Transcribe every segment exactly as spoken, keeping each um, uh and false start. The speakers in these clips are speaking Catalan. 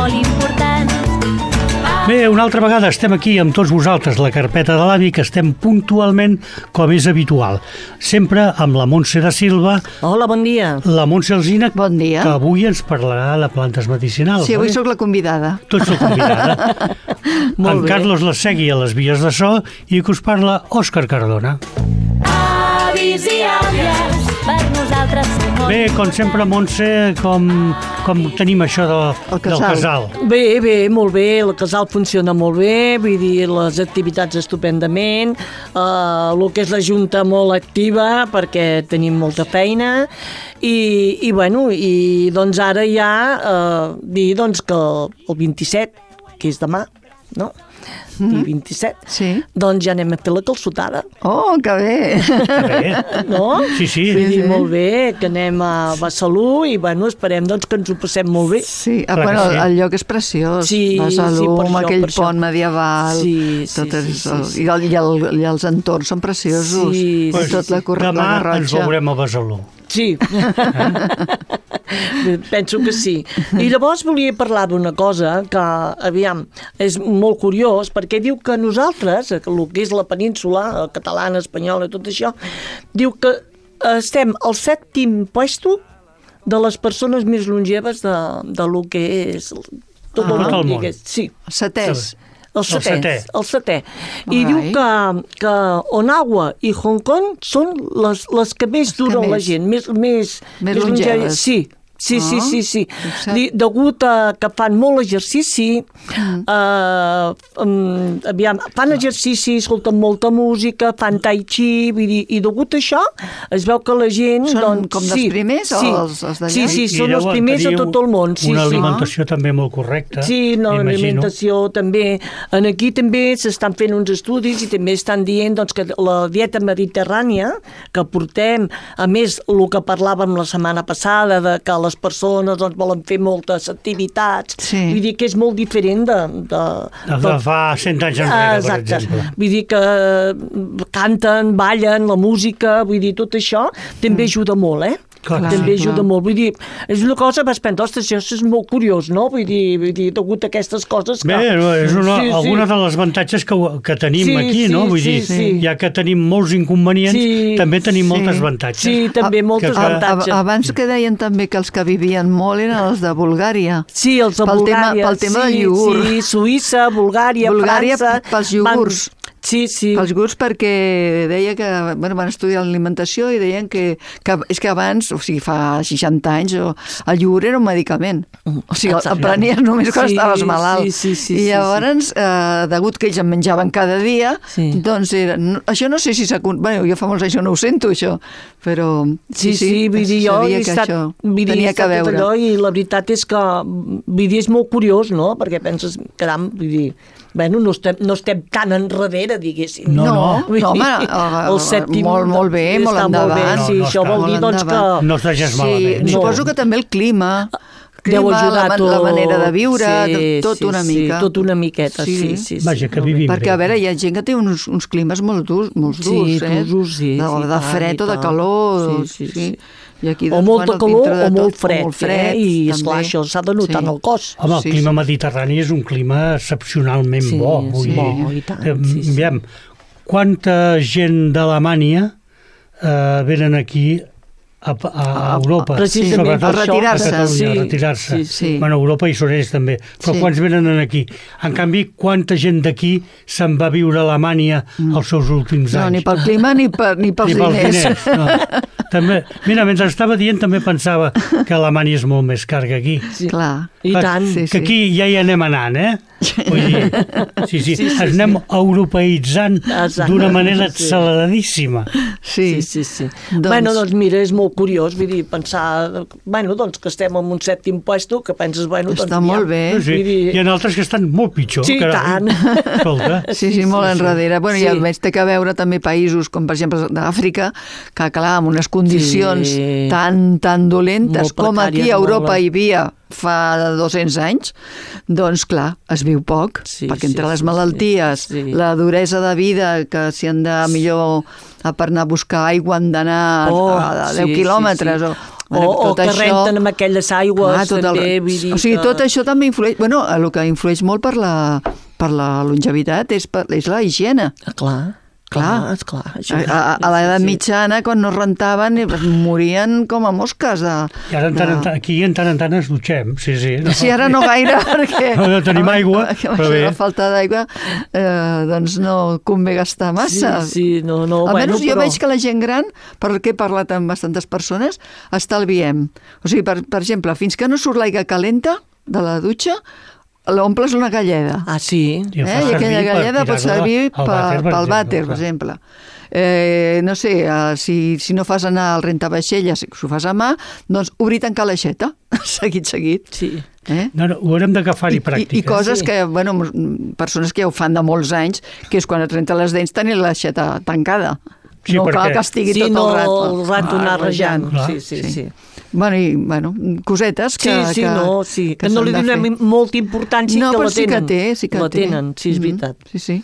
molt important. Bé, una altra vegada estem aquí amb tots vosaltres, la carpeta de l'avi, que estem puntualment com és habitual. Sempre amb la Montse da Silva. Hola, bon dia. La Montse Alsina, bon dia. Que avui ens parlarà de plantes medicinals. Sí, avui oi? sóc la convidada. Tu ets la convidada. En bé. Carlos la segui a les vies de so i que us parla Òscar Cardona. Avis i àvies, per nosaltres som molt... Bé, com sempre, Montse, com, com tenim això de, El del casal. casal? Bé, bé, molt bé, el casal funciona molt bé, vull dir, les activitats estupendament, eh, el que és la Junta molt activa perquè tenim molta feina i, i bueno, i doncs ara ja eh, dir doncs que el vint-i-set, que és demà, no? I vint-i-set, Sí. doncs ja anem a fer la calçotada. Oh, que bé! Bé. No? Sí, sí. Vull dir, sí. molt bé, que anem a Besalú i, bueno, esperem doncs, que ens ho passem molt bé. Sí, ah, Clar que bueno, sí. el lloc és preciós. Sí, Besalú, sí, per amb això, aquell per això. pont medieval. Sí, sí, tot sí, és, sí, sí. I, el, i, el, I els entorns són preciosos. Sí, I sí, tot la, corre, Demà la ens Garrotxa. veurem a Besalú. Sí. Penso que sí. I llavors volia parlar d'una cosa que, aviam, és molt curiós, perquè diu que nosaltres, el que és la península, catalana, espanyola, tot això, diu que estem al sèptim puesto de les persones més longeves de, de lo que és tot Ah. el Tot el món. món. digués. Sí, Setès. el setè. setè. El setè. I Ai. diu que, que Onawa i Hong Kong són les, les que més Les que duren la més. gent, més, més, Més longeves. longeves. Sí, sí, sí, Ah, sí, sí. fixa't. Di- Degut a que fan molt exercici, Mm. eh, um, aviam, fan exercici, escolten molta música, fan tai chi, vull dir, i degut a això es veu que la gent... Són doncs, com dels sí, primers o sí, els- els d'allà? Sí, sí, I són els deuen primers a tenir tot el món. Sí, una sí. alimentació també molt correcta. Sí, no, m'imagino. l'alimentació també. En aquí també s'estan fent uns estudis i també estan dient doncs, que la dieta mediterrània que portem, a més, el que parlàvem la setmana passada, de que les persones doncs, volen fer moltes activitats, Sí. vull dir que és molt diferent de... de, De, de fa cent anys enrere, per Exacte. exemple. Vull dir que canten, ballen, la música, vull dir, tot això també ajuda molt, eh? Clar que també sí. ajuda Clar. molt. Vull dir, és una cosa, vas pensar, ostres, això és molt curiós, no? Vull dir, vull dir degut a aquestes coses que... Bé, és una, Sí, sí. alguna de les avantatges que, que tenim Sí, aquí, sí, no? Vull sí, dir, sí. ja que tenim molts inconvenients, Sí, també tenim sí. moltes avantatges. Sí, també Ah, moltes que- A- avantatges. a- Abans que deien també que els que vivien molt eren els de Bulgària. Sí, els de pel tema- Bulgària. pel tema sí, del iogurt. Sí, Suïssa, Bulgària, Bulgària França... pels iogurts. Van... Sí, sí. Els gurs perquè deia que bueno, van estudiar l'alimentació i deien que, que és que abans, o sigui, fa seixanta anys, o, el iogurt era un medicament. O sigui, el, el prenies només quan Sí, estaves malalt. sí, sí, sí, I sí, llavors, eh, degut que ells en menjaven cada dia, Sí. doncs era, no, això no sé si s'ha... Bueno, jo fa molts anys no ho sento, això, però Sí, sí, sí, vull dir, jo sabia he que estat, això vull dir, he tenia que estat tot veure. allò i la veritat és que, vull dir, és molt curiós, no? Perquè penses, caram, vull dir, bueno, no estem, no estem tan enrere, diguéssim. No, no. Vull No, home, dir, eh, el sèptim molt, molt bé, molt està endavant. Molt bé, sí, No, no això està. vol dir, Molt doncs, endavant. que... No es vegés Sí, malament. suposo que també el clima, Deu clima ajudar la, tot. la manera de viure, Sí, de, tot sí, una sí, mica. tot una miqueta, sí, sí. sí Vaja, que molt bé. vivim Perquè, a veure, hi ha gent que té uns, uns climes molt durs, molt Sí, durs, eh? durs, sí, de, sí, de tant, fred i o de tant. calor. Sí, sí, sí. I aquí, O doncs, molta bueno, calor dintre de o tot, molt fred, molt fred eh? I, també. esclar, això s'ha de notar Sí. en el cos. Home, el Sí, clima sí. mediterrani és un clima excepcionalment Sí, bo. Vull sí, dir, bo, i tant, eh, sí, sí. aviam, quanta gent d'Alemanya eh, venen aquí a, a, a Europa, precisament sobretot per retirar-se. a Catalunya, Sí, a retirar-se. sí, sí. Bueno, a Europa i són ells també. Però Sí. quants venen aquí? En canvi, quanta gent d'aquí se'n va viure a Alemanya els seus últims No, anys? ni pel clima ni, per, ni pels Ni pels diners. diners. No. També, mira, mentre estava dient també pensava que Alemanya és molt més car que aquí. Sí. Clar. I Clar, tant. sí, Que aquí ja hi anem anant, eh? Vull dir, sí, sí, Sí, sí, ens anem europeïtzant Exacte. d'una manera Sí. acceleradíssima. Sí. Sí, sí, sí. Doncs- Bueno, doncs mira, és molt curiós, vull dir, pensar, bueno, doncs que estem en un sèptim puesto, que penses, bueno, doncs... Està molt bé. Sí, sí. Vull dir- Hi ha altres que estan molt pitjor. Sí, carai. tant. Escolta. Sí, sí, molt enrere. Bueno, Sí. i a més té que veure també països com, per exemple, d'Àfrica, que, clar, amb unes condicions Sí. tan, tan dolentes Molt com aquí precàries, a Europa molt. hi havia fa dos-cents anys, doncs, clar, es viu poc, Sí, perquè entre sí, les sí, malalties, sí. la duresa de vida, que si han de millor a per anar a buscar aigua han d'anar Oh, a deu sí, quilòmetres sí, sí. o, O, o que això... renten amb aquelles aigües, ah, també, el... vull dir O sigui, que... tot això també influeix... Bueno, el que influeix molt per la, per la longevitat és, per, és la higiene. Ah, clar. Clar, esclar. A, a, a l'edat mitjana, quan no rentaven, morien com a mosques. De, I ara en tant, de... aquí en tant en tant ens dutxem, sí, sí. No? Sí, ara no gaire, perquè... No tenim aigua, però bé. La falta d'aigua, eh, doncs no convé gastar massa. Sí, sí, no, no. Almenys bueno, jo però... veig que la gent gran, per què he parlat amb bastantes persones, estalviem. O sigui, per, per exemple, fins que no surt l'aigua calenta de la dutxa, l'omples una galleda. Ah, sí? Eh? I aquella galleda pot servir pel vàter, per exemple. Eh, no sé, uh, si, si no fas anar al rentavaixelles, si ho fas a mà, doncs obrir i tancar l'aixeta, seguit, seguit. Sí. Eh? No, no, ho haurem d'agafar-hi pràctica. I, I coses sí. que, bueno, persones que ja ho fan de molts anys, que és quan et renta les dents tenir l'aixeta tancada. Sí, no perquè... cal que estigui sí, tot no, el rato. el rato anar rejant. Clar. Sí, sí, sí. sí. Bueno, i, bueno, cosetes que... Sí, sí, que, no, sí. que, Que no li donem molta importància no, que la però sí tenen. que té, sí que la té. tenen, sí, és veritat. Mm-hmm. Sí, sí.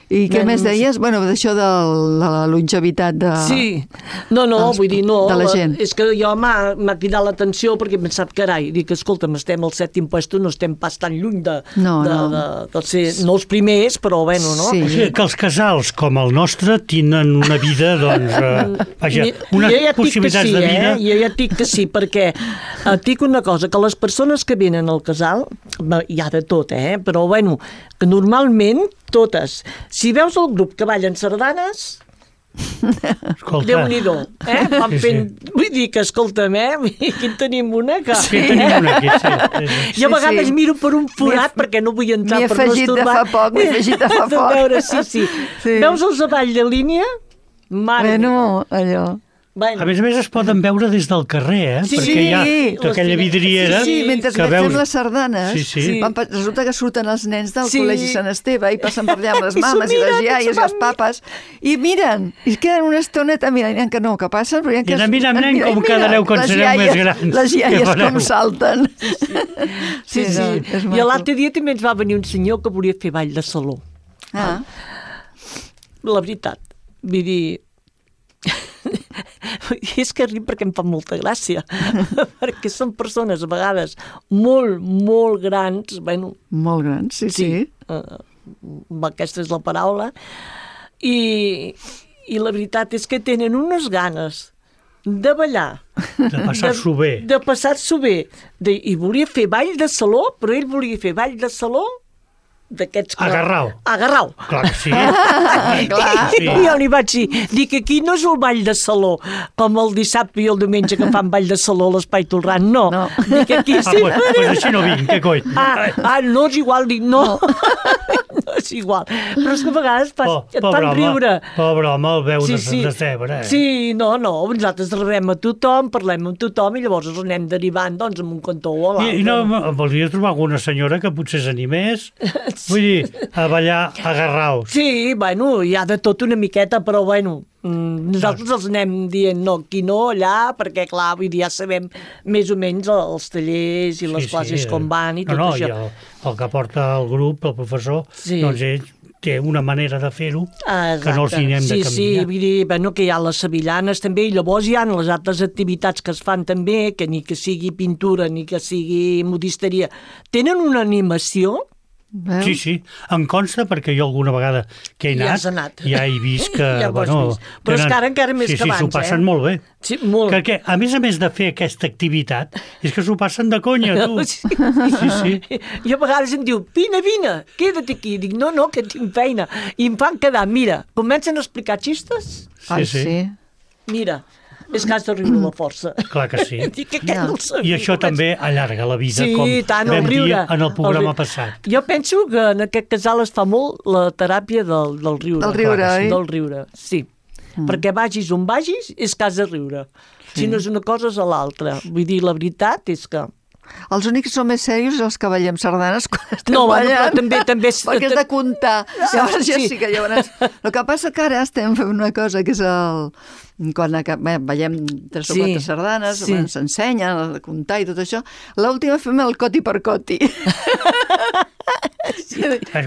I què No, més no, deies? Bueno, d'això de la longevitat de... Sí, no, no, dels- vull dir, no. de la gent. És que jo m'ha m'ha cridat l'atenció perquè he pensat, carai, dic, escolta'm, estem al set impuestos, no estem pas tan lluny de, No, de, no. de, de ser, no els primers, però bueno, no? Sí. O sigui, que els casals com el nostre tenen una vida, doncs, eh, vaja, unes jo ja et dic que possibilitats sí, de vida... Eh? Jo ja et dic que sí, perquè et dic una cosa, que les persones que venen al casal, bé, hi ha de tot, eh? Però bueno, que normalment totes, si veus el grup que ballen sardanes, Escolta, Déu-n'hi-do, eh? Van Sí, sí. fent... Vull dir que, escolta'm, eh? Aquí en tenim una que... sí, tenim una aquí, sí. sí, sí. Jo a vegades sí. miro per un forat M'hi he- perquè no vull entrar m'hi he per no afegit de estorbar. fa poc, m'hi he afegit de fa De poc. veure, sí, sí. Sí. Veus els avall de línia? Mare Bueno, meva. allò... A més a més es poden veure des del carrer, eh? Sí, perquè hi ha sí, tota aquella les- vidriera Sí, sí, mentre que que veus... fem les sardanes, Sí, sí. van pa- resulta que surten els nens del Sí. Col·legi Sant Esteve i passen per allà amb les I s'ho mames i les miren, iaies s'ho i els van- papes i miren, i es queden una estoneta mirant que no, que passen, però I anar mirant, nen, com quedareu quan les sereu iaies- més grans. Les Què iaies fareu? com salten. Sí, sí. no, és I maco. l'altre dia també ens va venir un senyor que volia fer ball de saló. Ah, La veritat. Vull dir... és que ric perquè em fa molta gràcia. Perquè són persones a vegades molt, molt grans, bueno, molt grans, sí, sí. uh, aquesta és la paraula, i, i la veritat és que tenen unes ganes de ballar, De passar-s'ho bé. de passar-s'ho bé, de, i volia fer ball de saló, però ell volia fer ball de saló d'aquests... que- Agarrau. Agarrau. Clar que sí. Clar. Sí. I jo li vaig dir, dic, aquí no és el ball de saló, com el dissabte i el diumenge que fan ball de saló a l'Espai Tolran, no. No. Dic, aquí Ah, sí. pues, pues així no vinc, què coi? Ah, ah, no és igual, dic, no. No és igual. Però és que a vegades pas, Oh, et pobre fan home, riure. pobre home, el veu Sí, de, sí. de cebre. Eh? Sí, no, no, nosaltres rebem a tothom, parlem amb tothom i llavors els anem derivant doncs, amb un cantó o a l'altre. I, i no, voldria trobar alguna senyora que potser s'animés, vull dir, a ballar agarraus. Sí, bueno, hi ha de tot una miqueta, però bueno, mm, nosaltres els anem dient no, aquí no, allà, perquè clar, vull dir, ja sabem més o menys els tallers i les classes com van i tot no, no, això. I el, el que porta el grup, el professor, Sí. doncs ell té una manera de fer-ho Ah, que no els hi anem sí, de Sí, canviar. vull dir, bueno, que hi ha les sevillanes també, i llavors hi ha les altres activitats que es fan també, que ni que sigui pintura ni que sigui modisteria, tenen una animació. Veus? Sí, sí, em consta perquè jo alguna vegada que he Ja anat, has anat. ja he vist que... Ja ho has bueno, vist. Però és que ara encara més sí, que sí, abans, s'ho passen eh? molt bé. Sí, molt. Que, que, a més a més de fer aquesta activitat, és que s'ho passen de conya, tu. Sí. Sí, sí. I a vegades em diu, vine, vine, queda't aquí. Dic, no, no, que tinc feina. I em fan quedar, mira, comencen a explicar xistes, Ai, sí. sí. mira, és que has de riure la força. Clar que sí. Dic que Ja. aquest no el sabia. I això també allarga la vida, Sí, com tant, el vam dir riure. en el programa riure. passat. Jo penso que en aquest casal es fa molt la teràpia del, del riure. Del riure, Clar que sí. oi? Del riure, sí. Mm. Perquè vagis on vagis, és que has de riure. Sí. Si no és una cosa, és a l'altra. Vull dir, la veritat és que... Els únics que són més serios els que ballem sardanes quan estem No, bueno, ballant. però també- també és- Perquè és de comptar. Llavors ja sí. sí que llavors... El que passa que ara estem fent una cosa que és el... Quan acab... Bé, ballem tres o Sí, quatre sardanes, sí. ens ensenyen a comptar i tot això. L'última fem el coti per coti.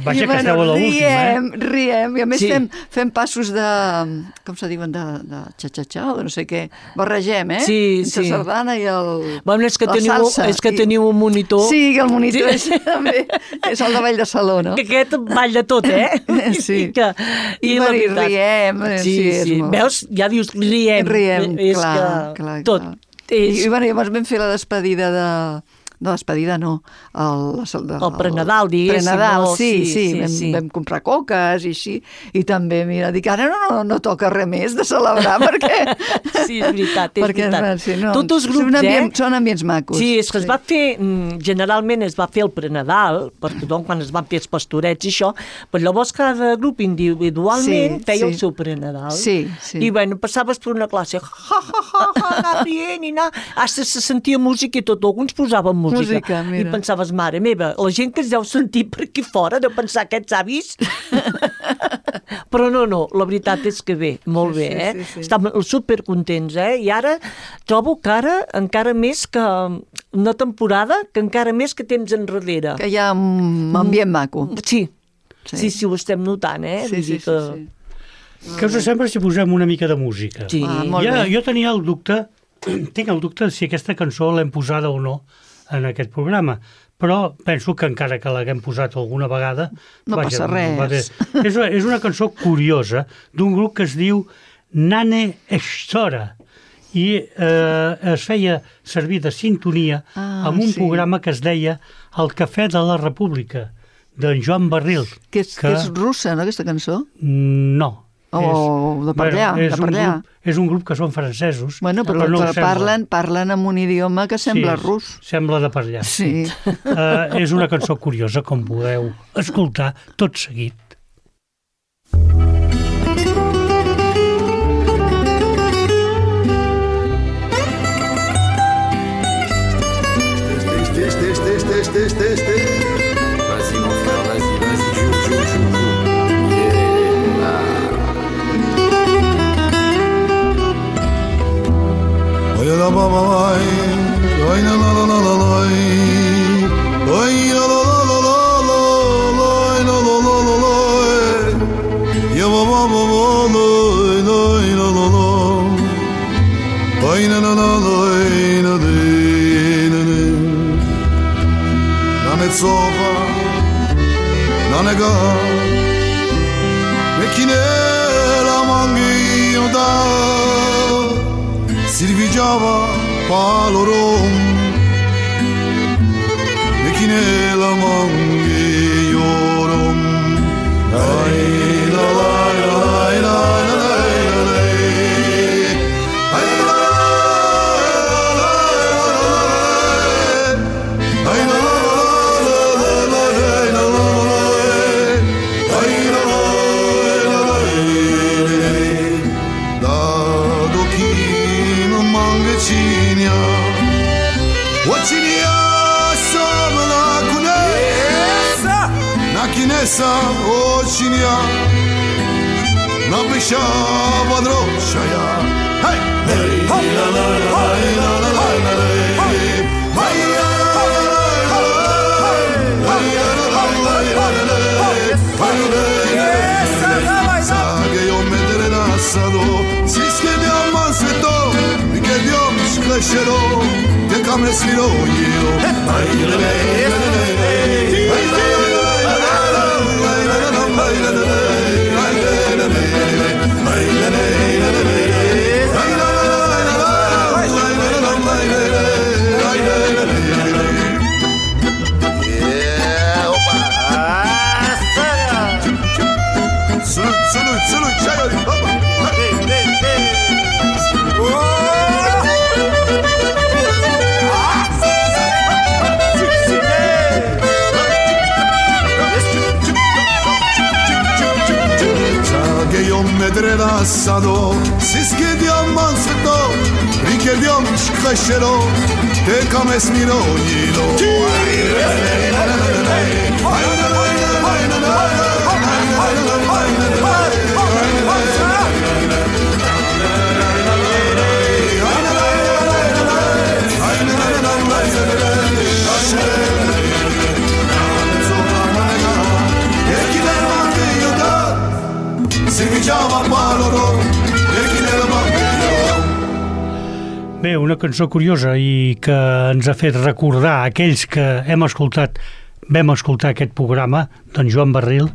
Vaja, que esteu a l'última, riem, eh? riem, i a més Sí. fem, fem passos de, com se diuen, de, de xa-xa-xa o de no sé què, barregem, eh? Sí, Entre sí. la sardana i el, Bueno, és que la teniu, salsa. és que I- teniu un monitor. Sí, el monitor Sí. és, també, és el de Ball de Saló, no? Que aquest balla tot, eh? Sí. I, que, I, la i veritat- riem, eh, Sí, sí, és sí. molt... Veus? Ja dius riem. Riem, és clar, que clar, tot. clar. És... I, i bueno, llavors vam fer la despedida de... No, despedida no. El, el, El prenadal, diguéssim, Prenadal, no? sí, Sí, sí. sí, vam, sí. vam comprar coques i així. I també, mira, dic, ara no, no, no toca res més de celebrar perquè... Sí, és veritat, és perquè, veritat. Sí, no, Tots els són grups, ambient, eh? Són ambients macos. Sí, és que es va fer, mm, generalment es va fer el prenadal per tothom quan es van fer els pastorets i això, però llavors cada grup individualment Sí, feia sí. el seu prenadal. Sí, sí. I bueno, passaves per una classe, ha, ha, ha, ha, anar rient i anar... Hasta se sentia música i tot, alguns posaven música. Música, mira. I pensaves, mare meva, la gent que es deu sentir per aquí fora deu pensar aquests avis... Però no, no, la veritat és que bé, molt Sí, bé, sí, eh? sí, sí. Estàvem supercontents, eh? I ara trobo que ara, encara més que una temporada, que encara més que temps enrere. Que hi ha un ambient maco. Sí, Sí. sí, sí, ho estem notant, eh? Sí, Vull sí, dir sí, que... sí. Què us sembla si posem una mica de música? Sí. Ah, molt ja, bé. jo tenia el dubte, tinc el dubte de si aquesta cançó l'hem posada o no en aquest programa, però penso que encara que l'haguem posat alguna vegada... No passa res. va bé. És, una- és una cançó curiosa d'un grup que es diu Nane Estora i eh, es feia servir de sintonia Ah, amb un sí. programa que es deia El Cafè de la República, d'en Joan Barril. Que és, que... és russa, no, aquesta cançó? No. O de per allà, és de per un allà. grup, és un grup que són francesos. Bueno, però, no ho però sembla. parlen, parlen amb un idioma que sembla Sí, rus. Sembla de per allà. Sí. Uh, és una cançó curiosa, com podeu escoltar tot seguit. Test, test, test, test, test, test, test. Vas-y mon frère, vas-y, vas-y, joue, joue, joue, joue. Yeah. Oy la ba ba ay, oy la la la la la la, oy la la la la la la, oy la la la la la, ya ba ba ba ba la, oy la la la, oy la la la la, oy la la. Sova, na nega, mekine la mangi da, silvigiava palorom, mekine la mangi yorum, ay la la la la la la. Kinesa očinia napiša vadrošaja. Hej, hej, hej, la la la la la la la la. Hej, la la la la la la. Hej, la la la la la la. Sage jo me drena sado, siske diaman sveto, ke diom šklešero, te kame sviro jiro. Hej, la la la la la. Hej, la la la. Sado, siske diamant sveto, rike diam škašero, te kam esmiro njilo. Bé, una cançó curiosa i que ens ha fet recordar aquells que hem escoltat, vam escoltar aquest programa, d'en Joan Barril,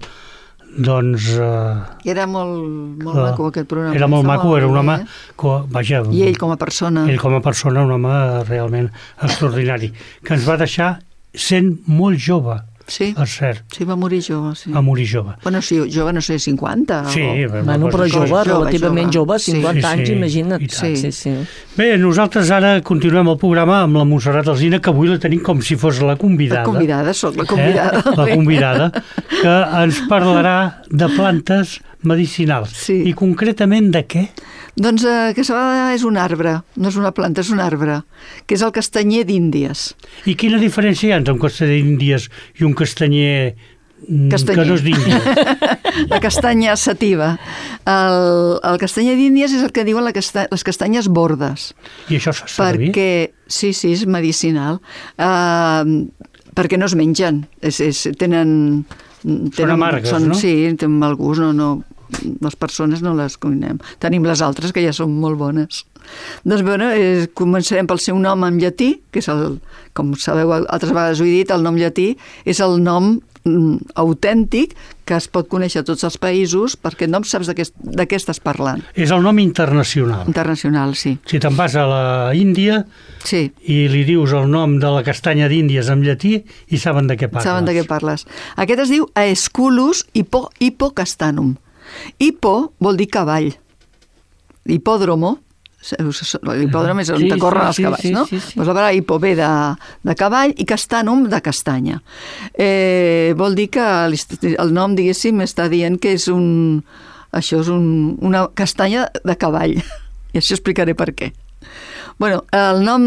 doncs... Eh, era molt, molt uh, maco aquest programa. Era molt maco, era un home... Eh? Co, vaja, I ell com a persona. Ell com a persona, un home realment extraordinari, que ens va deixar sent molt jove. Sí, és cert. Sí, va morir jove. Sí. Va morir jove. Bueno, sí, jove, no sé, cinquanta. Sí, o... bueno, però jove, jove, relativament jove, cinquanta sí, anys, sí, imagina't. Sí. Sí, sí. Bé, nosaltres ara continuem el programa amb la Montserrat Alsina, que avui la tenim com si fos la convidada. La convidada, soc la convidada. Eh? La convidada, que ens parlarà de plantes medicinals. Sí. I concretament de què? Doncs eh, aquesta vegada és un arbre, no és una planta, és un arbre, que és el castanyer d'Índies. I quina diferència hi ha entre un castanyer d'Índies i un castanyer, castanyer. que no és d'Índies? La castanya sativa. El, el castanyer d'Índies és el que diuen la casta, les castanyes bordes. I això fa servir? Perquè, sí, sí, és medicinal. Uh, perquè no es mengen. És, és, tenen, tenen... Són amargues, són, no? Sí, tenen mal gust, no... no les persones no les cuinem. Tenim les altres, que ja són molt bones. Doncs, bueno, eh, començarem pel seu nom en llatí, que és el, com sabeu, altres vegades ho he dit, el nom llatí és el nom mm, autèntic que es pot conèixer a tots els països, perquè no saps de què, de què estàs parlant. És el nom internacional. Internacional, sí. Si te'n vas a la Índia sí. i li dius el nom de la castanya d'Índies en llatí i saben de què parles. Saben de què parles. Aquest es diu Aesculus hippo, hippocastanum. Hippo vol dir cavall. Hipòdromo, l'hipòdrom és on sí, corren sí, els cavalls, sí, no? Sí, sí. Pues la paraula hippo ve de, de cavall i castanum de castanya. Eh, vol dir que el nom, diguéssim, està dient que és un... Això és un, una castanya de cavall. I això explicaré per què. Bueno, el nom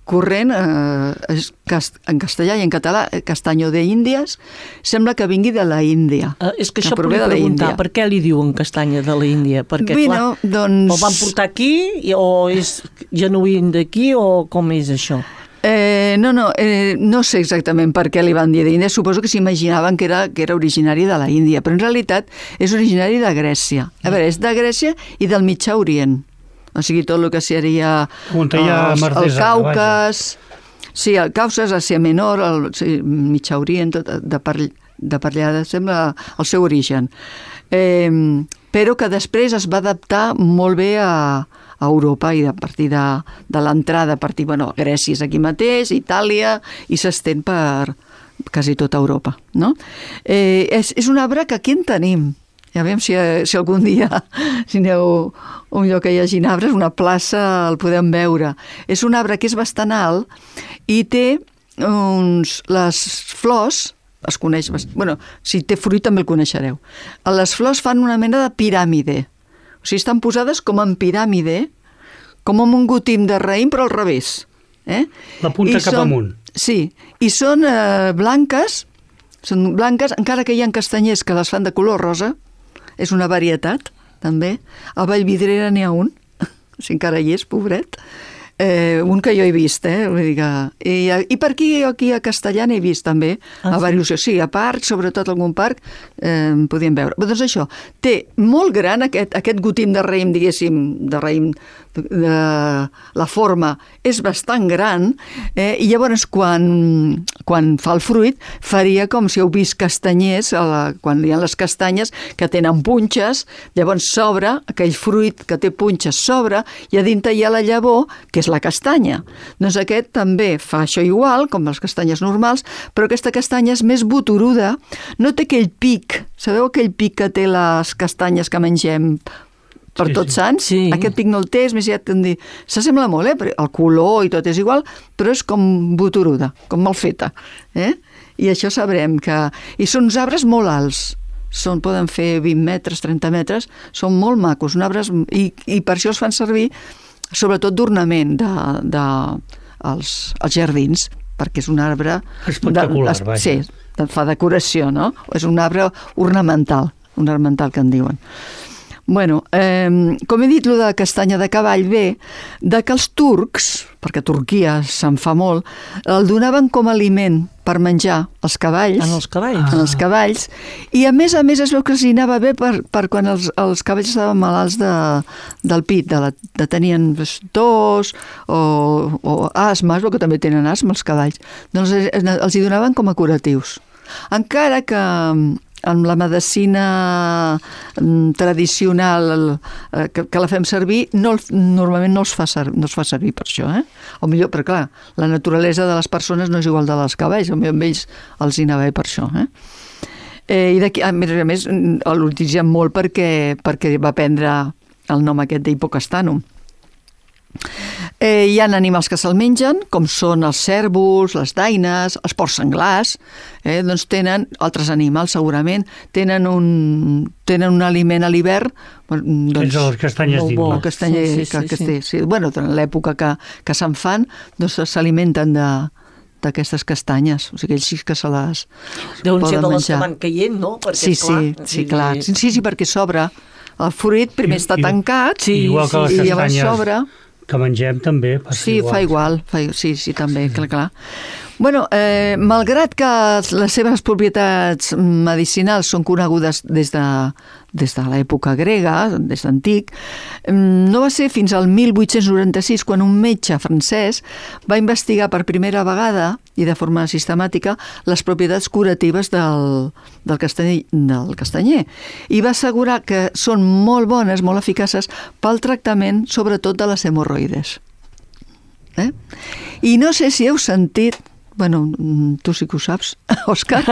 corrent, eh, és cast, en castellà i en català, castanyo de Índies, sembla que vingui de la Índia. Uh, és que, que això podria preguntar, per què li diuen castanya de la Índia? Perquè, bueno, clar, doncs... el van portar aquí, o és genuí d'aquí, o com és això? Eh, no, no, eh, no sé exactament per què li van dir d'Índia. Suposo que s'imaginaven que era, que era originari de la Índia, però en realitat és originari de Grècia. A veure, és de Grècia i del Mitjà Orient. O sigui, tot el que seria els, el Caucas, sí, el Caucas, Àsia Menor, el sí, Mitjà Orient, tot de per, de per allà sembla el seu origen. Eh, però que després es va adaptar molt bé a, a Europa i a partir de, de l'entrada, a partir, bueno, Grècia és aquí mateix, Itàlia, i s'estén per quasi tota Europa, no? Eh, és, és un arbre que aquí en tenim. Ja veiem si, si algun dia, si aneu a un lloc que hi hagi arbres, una plaça, el podem veure. És un arbre que és bastant alt i té uns, les flors, es coneix, bueno, si té fruit també el coneixereu. Les flors fan una mena de piràmide. O sigui, estan posades com en piràmide, com en un gotim de raïm, però al revés. Eh? La punta I cap són, amunt. Sí, i són eh, blanques, són blanques, encara que hi ha castanyers que les fan de color rosa. És una varietat, també. A Vallvidrera n'hi ha un, si encara hi és, pobret. Eh, un que jo he vist, eh? Vull dir que... I, I per aquí, aquí a Castellà n'he vist també, ah, a diversos, sí, a parcs, sobretot algun parc, eh, podíem veure. Però doncs això, té molt gran aquest, aquest gotim de raïm, diguéssim, de raïm, de, la forma és bastant gran, eh, i llavors quan, quan fa el fruit faria com si heu vist castanyers, a la, quan hi ha les castanyes que tenen punxes, llavors s'obre, aquell fruit que té punxes s'obre, i a dintre hi ha la llavor, que és la castanya. Doncs aquest també fa això igual, com les castanyes normals, però aquesta castanya és més boturuda, no té aquell pic, sabeu aquell pic que té les castanyes que mengem per sí, tots sants? Sí. Aquest pic no el té, és més ja t'han dit, s'assembla molt, eh? El color i tot és igual, però és com boturuda, com mal feta. Eh? I això sabrem que... I són uns arbres molt alts, són, poden fer vint metres, trenta metres, són molt macos, arbres, i, i per això es fan servir sobretot d'ornament de, de, els, els jardins, perquè és un arbre... Espectacular, de, vaja. Sí, fa decoració, no? És un arbre ornamental, un ornamental que en diuen. Bueno, eh, com he dit, lo de castanya de cavall ve de que els turcs, perquè Turquia se'n fa molt, el donaven com a aliment per menjar als cavalls. En els cavalls? En els cavalls. I a més a més es veu que els hi anava bé per, per quan els, els cavalls estaven malalts de, del pit, de, la, de tenien tos o, o asma, es veu que també tenen asma els cavalls. Doncs els hi donaven com a curatius. Encara que amb la medicina tradicional que, que la fem servir, no, normalment no, els fa ser, no es fa servir per això. Eh? O millor, però clar, la naturalesa de les persones no és igual de les cavalls, amb ells els hi anava bé per això. Eh? Eh, I d'aquí, a més a més, l'utilitzem molt perquè, perquè va prendre el nom aquest d'Hipocastanum. Eh, hi ha animals que se'l mengen, com són els cérvols, les daines, els porcs senglars, eh, doncs tenen, altres animals segurament, tenen un, tenen un aliment a l'hivern, doncs, les castanyes d'Inma. El castanyer, sí, sí, que, que sí, sí. Sí. Bueno, en l'època que, que se'n fan, doncs s'alimenten de d'aquestes castanyes, o sigui, ells sí que se les Deuen poden ser de les menjar. que van caient, no? Perquè, sí, clar, sí, sí, clar. Sí, sí, sí, perquè s'obre. El fruit primer I, està i, tancat sí, igual que les i llavors castanyes s'obre. Que mengem també passa sí, igual. fa igual, fa, sí, sí, també, sí. clar, clar. Bueno, eh, malgrat que les seves propietats medicinals són conegudes des de, des de l'època grega, des d'antic, no va ser fins al mil vuit-cents noranta-sis quan un metge francès va investigar per primera vegada i de forma sistemàtica les propietats curatives del, del, castanyer, del castanyer i va assegurar que són molt bones, molt eficaces pel tractament sobretot de les hemorroides. Eh? I no sé si heu sentit, bueno, tu sí que ho saps, Òscar,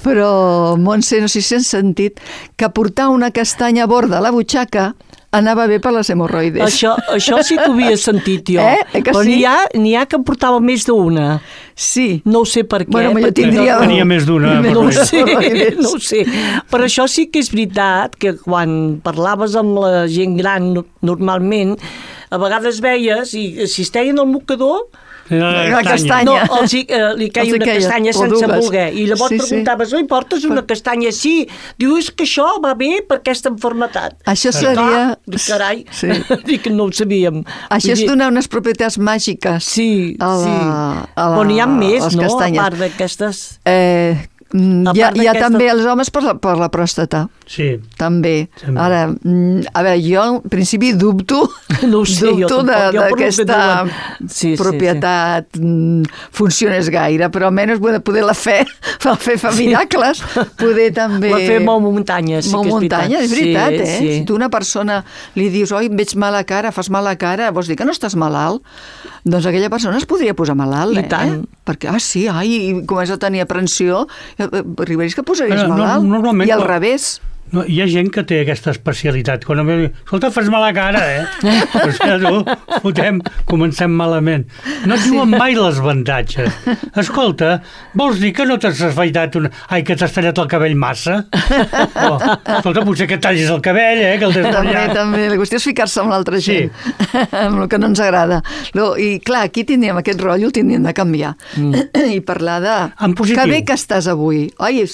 però Montse, no sé si has sentit que portar una castanya borda a la butxaca anava bé per les hemorroides. Això, això sí que ho havia sentit jo. Eh? eh que però sí? n'hi ha, n'hi ha que portava més d'una. Sí. No ho sé per què. Bueno, jo perquè... tindria... Tenia més d'una. No ho sé, no ho sé. Però això sí que és veritat, que quan parlaves amb la gent gran normalment, a vegades veies, i si es teien al mocador... La castanya. No, els, eh, li caia una castanya sense voler. I llavors sí, preguntaves, oi, portes una castanya? Sí. Diu, és que això va bé per aquesta malaltia. Això seria... Dic, carai, sí. dic que no ho sabíem. Això és donar unes propietats màgiques sí, a la, sí. a la, però n'hi ha més, no? castanyes. A part d'aquestes... Eh, hi ha, hi ha també els homes per la, per la pròstata. Sí. També. També. Ara, a veure, jo en principi dubto, no sé, dubto d'aquesta sí, propietat sí, sí. funcionés gaire, però almenys poder la fe, la fe fa miracles, poder també... La fe mou muntanyes, sí mou que és muntanyes, és veritat, sí, eh? Sí. Si tu a una persona li dius, oi, em veig mala cara, fas mala cara, vols dir que no estàs malalt? Doncs aquella persona es podria posar malalt, I eh? tant. Perquè, ah, sí, ai, i comença a tenir aprensió, arribaries que posaries Però, malalt, no, i al quan... revés. No, hi ha gent que té aquesta especialitat. Quan em diu, escolta, fas mala cara, eh? Pues que tu, fotem, comencem malament. No et diuen mai les avantatges. Escolta, vols dir que no t'has afaitat una... Ai, que t'has tallat el cabell massa? Oh, escolta, potser que et tallis el cabell, eh? Que el tens També, tallat. també. La qüestió és ficar-se amb l'altra gent, sí. amb el que no ens agrada. No, i clar, aquí tindríem aquest rotllo, el tindríem de canviar. Mm. I parlar de... En positiu. Que bé que estàs avui. Oi,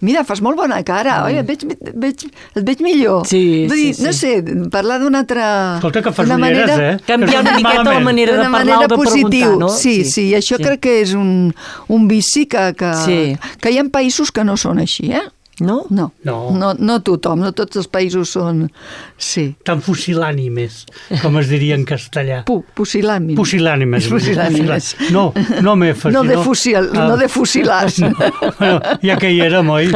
mira, fas molt bona cara. Oi, et veig Veig, et veig millor. Sí, Vull dir, sí, sí. no sé, parlar d'una altra... Escolta, que fas una ulleres, manera, eh? Canviar una miqueta la manera de d'una parlar manera o de positiu. preguntar, no? Sí, sí, sí, això sí. crec que és un, un vici que, que, Sí. que hi ha països que no són així, eh? No? No, No. no, no tothom, no tots els països són... Sí. Tan fusilànimes, com es diria en castellà. Pu, pusilànimes. Pusilànimes. Pusilànimes. No, no me fas, No de, sinó- fusil, Ah, no de fusilars. no, bueno, ja que hi érem, oi?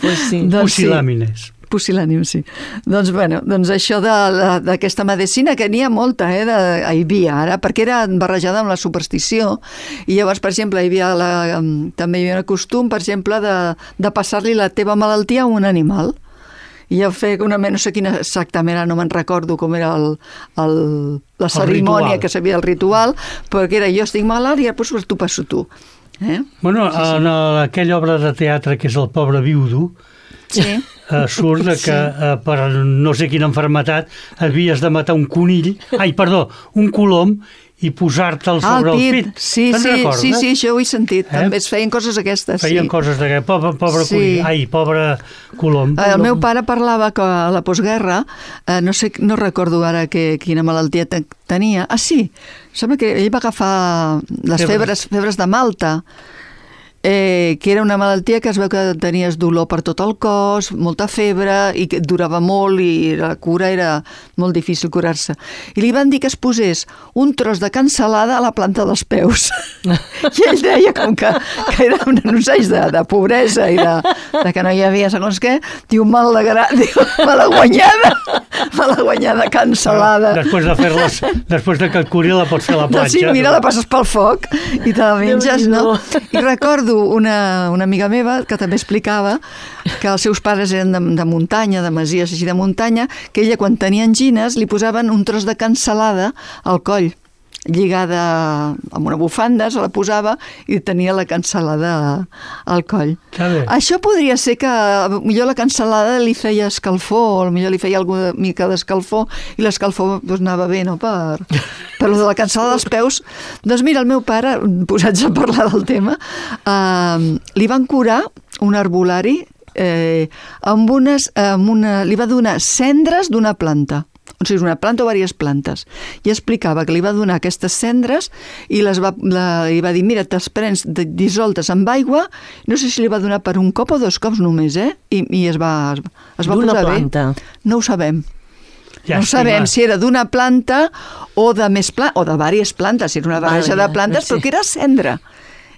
Pues sí. Doncs sí. Pusilàmines. Pusilànim, sí. Doncs, bueno, doncs això d'aquesta medicina, que n'hi ha molta, eh, de, hi havia ara, perquè era barrejada amb la superstició, i llavors, per exemple, hi havia la, també hi havia un costum, per exemple, de, de passar-li la teva malaltia a un animal. I jo feia una, no sé quina exactament, ara no me'n recordo com era el, el, la cerimònia ritual. que sabia el ritual, perquè era jo estic malalt i després t'ho passo tu. Eh? Bueno, Sí, sí. en aquella obra de teatre que és El pobre viudo, Sí. eh, surt de que eh, per no sé quina malaltia havies de matar un conill, ai, perdó, un colom, i posar-te'l sobre ah, el pit. el pit. Sí, sí, sí, sí, això ho he sentit. Eh? També es feien coses aquestes. Feien sí. coses d'aquestes. Pobre, pobre sí. conill. Ai, pobre colom. El meu pare parlava que a la postguerra, eh, no sé, no recordo ara que, quina malaltia te, tenia. Ah, sí, sembla que ell va agafar les febres, febres de Malta, eh, que era una malaltia que es veu que tenies dolor per tot el cos, molta febre, i que durava molt, i la cura era molt difícil curar-se. I li van dir que es posés un tros de cansalada a la planta dels peus. I ell deia com que, que era un, uns anys de, de pobresa i de, de que no hi havia segons què, diu, mal de gra... diu, mala guanyada, mala guanyada cansalada. Però després de fer-les, després de que et curi la pots fer a la planxa. Sí, mira, la passes pel foc i te la menges, no? I recordo una, una amiga meva que també explicava que els seus pares eren de, de muntanya, de masies així de muntanya, que ella quan tenia angines li posaven un tros de cansalada al coll, lligada amb una bufanda, se la posava i tenia la cansalada al coll. Això podria ser que millor la cansalada li feia escalfor, o millor li feia alguna mica d'escalfor, i l'escalfor doncs, anava bé, no? Per, per lo de la cansalada dels peus. Doncs mira, el meu pare, posats a parlar del tema, eh, li van curar un herbolari eh, amb unes, amb una, li va donar cendres d'una planta. O sigui, una planta o diverses plantes. I explicava que li va donar aquestes cendres i les va, la, li va dir, mira, te'ls prens dissoltes amb aigua, no sé si li va donar per un cop o dos cops només, eh? I, i es va, es va posar planta. Bé. No ho sabem. Ja no sabem si era d'una planta o de més plantes, o de diverses plantes, si era una barreja de plantes, sí. Però que era cendra.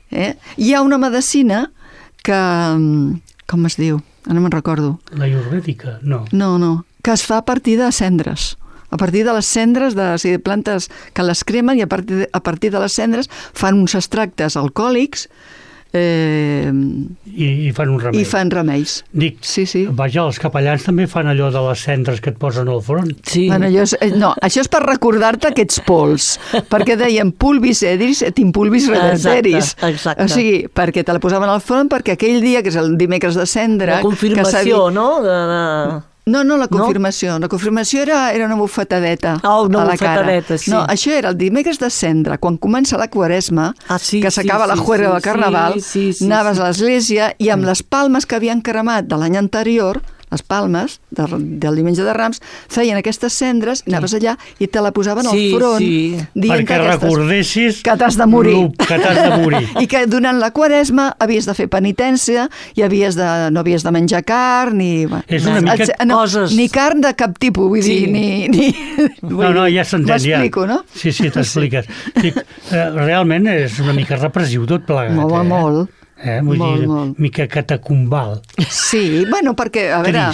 Eh? Hi ha una medicina que... Com es diu? No me'n recordo. La ayurvèdica? No. No, no. Que es fa a partir de cendres. A partir de les cendres de, o sigui, de plantes que les cremen, i a partir de, a partir de les cendres fan uns extractes alcohòlics eh, I, i fan un remei. I fan remeis. Dic, sí, sí. Vaja, els capellans també fan allò de les cendres que et posen al front. Sí. Bueno, allò és, no, això és per recordar-te aquests pols, perquè deien pulvis edris et impulvis reverteris. Exacte, exacte. O sigui, perquè te la posaven al front, perquè aquell dia, que és el dimecres de cendra... La confirmació, no? De, de... No, no, la confirmació. No? La confirmació era, era una bufetadeta oh, una a la bufetadeta, cara. Sí. No, això era el dimecres de cendra, quan comença la Quaresma, ah, sí, que s'acaba sí, la sí, juerga sí, del Carnaval, sí, sí, sí, anaves sí. a l'església i amb les palmes que havien cremat de l'any anterior, les palmes de, del diumenge de Rams, feien aquestes cendres, i anaves allà i te la posaven sí, al front, sí. Perquè aquestes, recordessis que t'has de morir. Que t'has de morir. I que durant la Quaresma havies de fer penitència i havies de, no havies de menjar carn, ni, és una mica... no, coses. Ni carn de cap tipus, vull sí. dir, ni... ni no, no, ja s'entén, ja. M'explico, no? Sí, sí, t'expliques. Sí. Realment és una mica repressiu tot plegat. Molt, eh? molt. Eh? Vull molt, dir, molt. mica catacumbal. Sí, bueno, perquè, a veure,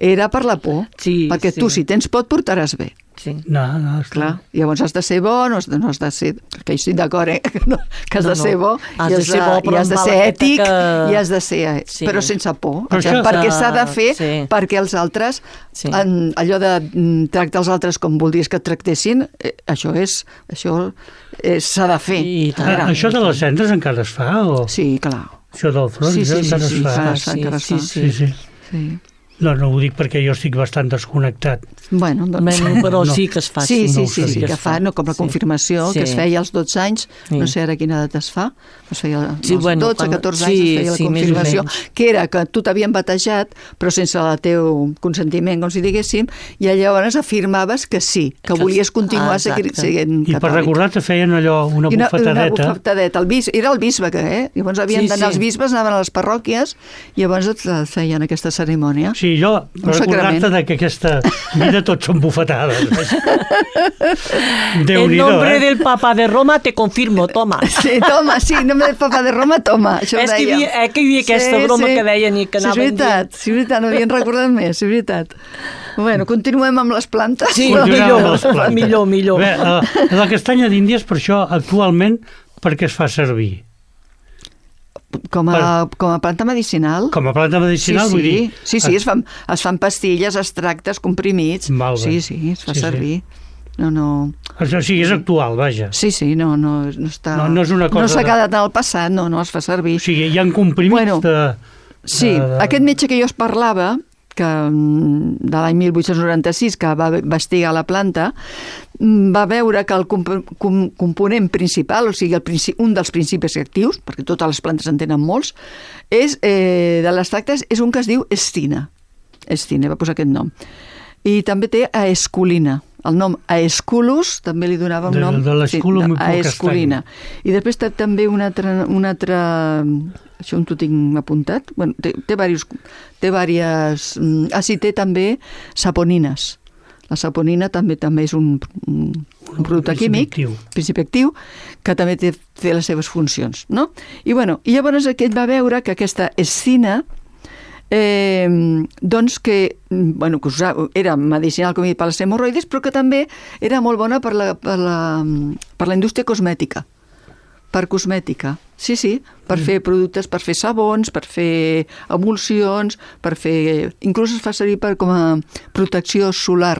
era per la por. Sí, perquè sí. tu, si tens por, et portaràs bé. Sí. No, no, clar. Llavors has de ser bo, no has de, no has de ser... Que hi estic d'acord, eh? Que, no, que has no, de ser bo, has i has de, ser bo, i has de ser ètic, que... i has de ser... Sí. Però sense por. Però això... Perquè s'ha de fer sí. perquè els altres, sí. en, allò de tractar els altres com voldries que et tractessin, eh, això és... Això s'ha de fer. Sí, ah, això de les cendres encara es fa? O... Sí, clar. Això del front sí, sí, encara sí, es fa? Sí, sí, encara es fa. Sí, sí. sí. sí. No, no ho dic perquè jo estic bastant desconnectat. Bueno, doncs... Bueno, però no. sí que es fa. Sí, sí, no, sí, sí, sí, que fa, no, com la confirmació, sí. que es feia als dotze anys, sí. no sé ara quina edat es fa, es feia als sí, bueno, dotze, catorze anys, sí, es feia la sí, confirmació, que era que tu t'havien batejat, però sense el teu consentiment, com si diguéssim, i llavors afirmaves que sí, que, que volies continuar ah, sent catòlic. I per recordar te feien allò, una bufetadeta. Una, una bufetadeta, el bis, era el bisbe, que, eh? Llavors havien sí, d'anar sí. els bisbes, anaven a les parròquies, i llavors et feien aquesta cerimònia. Sí, jo... recordar-te que aquesta vida tots són bufetades. En nombre eh? del Papa de Roma te confirmo, toma. Sí, toma, sí, en nombre del Papa de Roma, toma. Això és que hi havia, eh, que hi havia aquesta sí, broma sí. que deien i que anaven... Sí, és veritat, sí, és veritat, no havien recordat més, és veritat. Bueno, continuem amb les plantes. Sí, millor, les plantes. millor, millor. Bé, la, la castanya d'Índies, per això, actualment, per què es fa servir? Com a, com a planta medicinal. Com a planta medicinal, sí, sí. vull dir... Sí, sí, es fan, es fan pastilles, extractes, comprimits. Sí, sí, es fa sí, servir. Sí. No, no... O sigui, és actual, vaja. Sí, sí, no, no, no està... No, no és una cosa... No s'ha de... quedat al passat, no, no es fa servir. O sigui, hi ha comprimits bueno, de... Sí, de... aquest metge que jo es parlava, que, de l'any mil vuit-cents noranta-sis, que va investigar la planta, va veure que el comp com component principal, o sigui, el principi, un dels principis actius, perquè totes les plantes en tenen molts, és, eh, de les tractes, és un que es diu estina. Estina, va posar aquest nom. I també té aesculina. El nom Aesculus també li donava un nom... De, de l'esculum sí, aesculina. I després té també un altre... Un altre això on t'ho tinc apuntat. Bueno, té, té diversos... Té diverses... Ah, sí, té també saponines. La saponina també també és un, un, un producte químic, principi actiu, que també té, té les seves funcions, no? I, bueno, i llavors aquest va veure que aquesta escina Eh, doncs que, bueno, que era medicinal, com he dit, per les hemorroides, però que també era molt bona per la, per la, per la indústria cosmètica, per cosmètica, sí, sí, per mm. fer productes, per fer sabons, per fer emulsions, per fer... Inclús es fa servir per, com a protecció solar,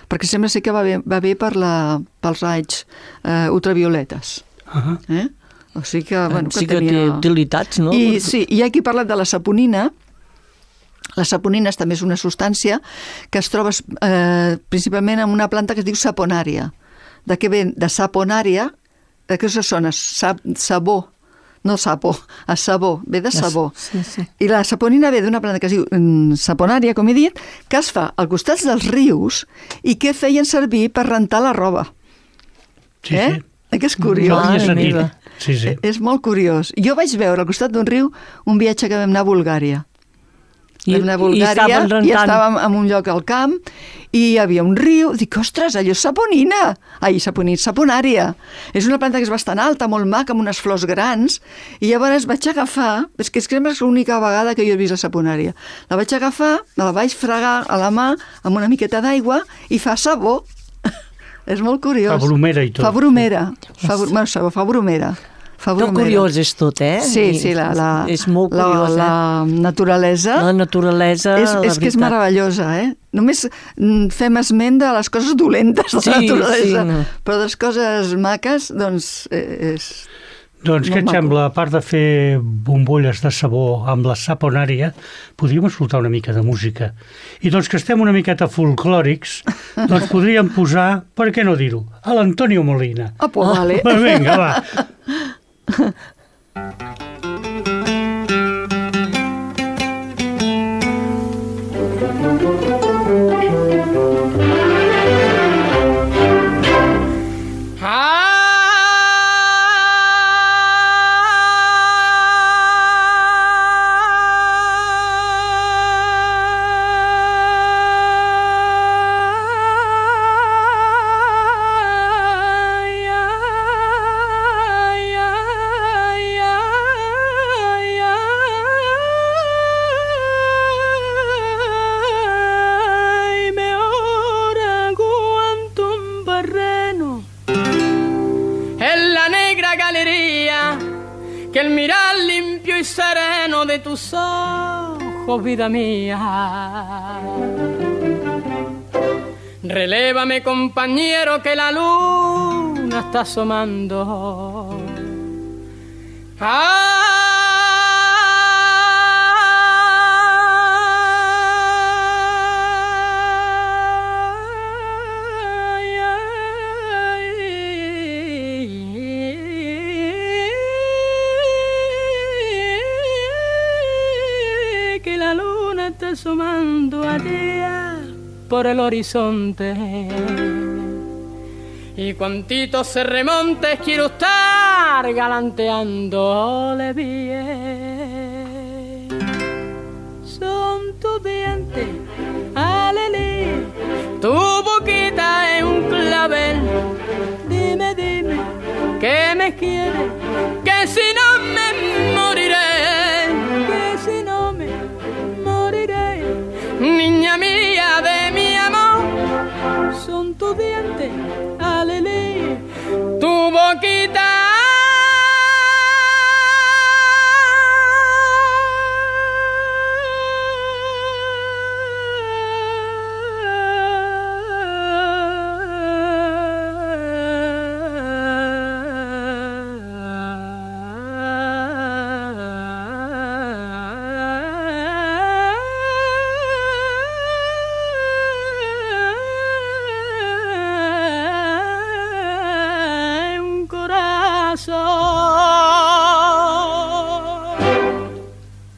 perquè sembla ser que va bé, va bé per la, pels raigs eh, ultravioletes. Uh -huh. eh? O sigui que, bueno, sí que, que tenia... té utilitats, no? I, sí, i aquí he parlat de la saponina. La saponina també és una substància que es troba eh, principalment en una planta que es diu saponària. De què ve? De saponària, de què se sona? Sab, sabó, no sapo, a sabó, ve de sabó. Sí, sí. I la saponina ve d'una planta que es diu mm, saponària, com he dit, que es fa al costat dels rius i que feien servir per rentar la roba. Sí, eh? sí. Eh, que és curiós. No havia sentit. Sí, sí. És molt curiós. Jo vaig veure al costat d'un riu un viatge que vam anar a Bulgària. I, vam anar a Bulgària i, i estàvem en un lloc al camp i hi havia un riu. Dic, ostres, allò és saponina. Ai, saponina, saponària. És una planta que és bastant alta, molt maca, amb unes flors grans. I llavors vaig agafar, és que és l'única vegada que jo he vist la saponària. La vaig agafar, la vaig fregar a la mà amb una miqueta d'aigua i fa sabó. És molt curiós. Fa bromera i tot. Fa bromera. Fa, br bueno, sabó, fa bromera. Tot curiós és tot, eh? Sí, sí, la, la, és molt curiós, la, la naturalesa... La naturalesa, és, la és que és meravellosa, eh? Només fem esment de les coses dolentes de sí, la naturalesa, sí, no. però de les coses maques, doncs, és... Doncs què et sembla, a part de fer bombolles de sabó amb la saponària, podríem escoltar una mica de música. I doncs que estem una miqueta folclòrics, doncs podríem posar, per què no dir-ho, a l'Antonio Molina. Ah, pues vale. Vinga, va. Que el mirar limpio y sereno de tus ojos, vida mía. Relévame, compañero, que la luna está asomando. ¡Ah! Asomando allá por el horizonte y cuantitos se remontes quiero estar galanteándole bien. Son tus dientes, alelí, tu boquita es un clavel. Dime, dime, que me quieres, que si no me moriré, que si no me niña mía de mi amor, son tus dientes, alelí, tu boquita. corazón.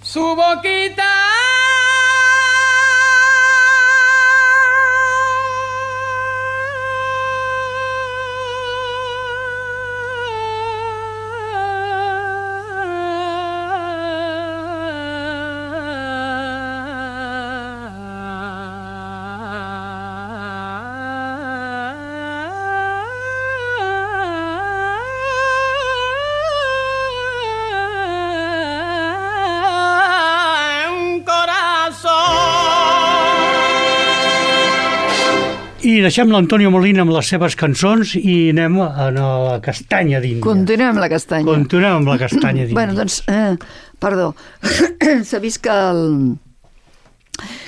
Su boquita I deixem l'Antonio Molina amb les seves cançons i anem a la castanya d'Índia. Continuem amb la castanya. Continuem amb la castanya d'Índia. Bueno, doncs, eh, perdó, s'ha vist que el,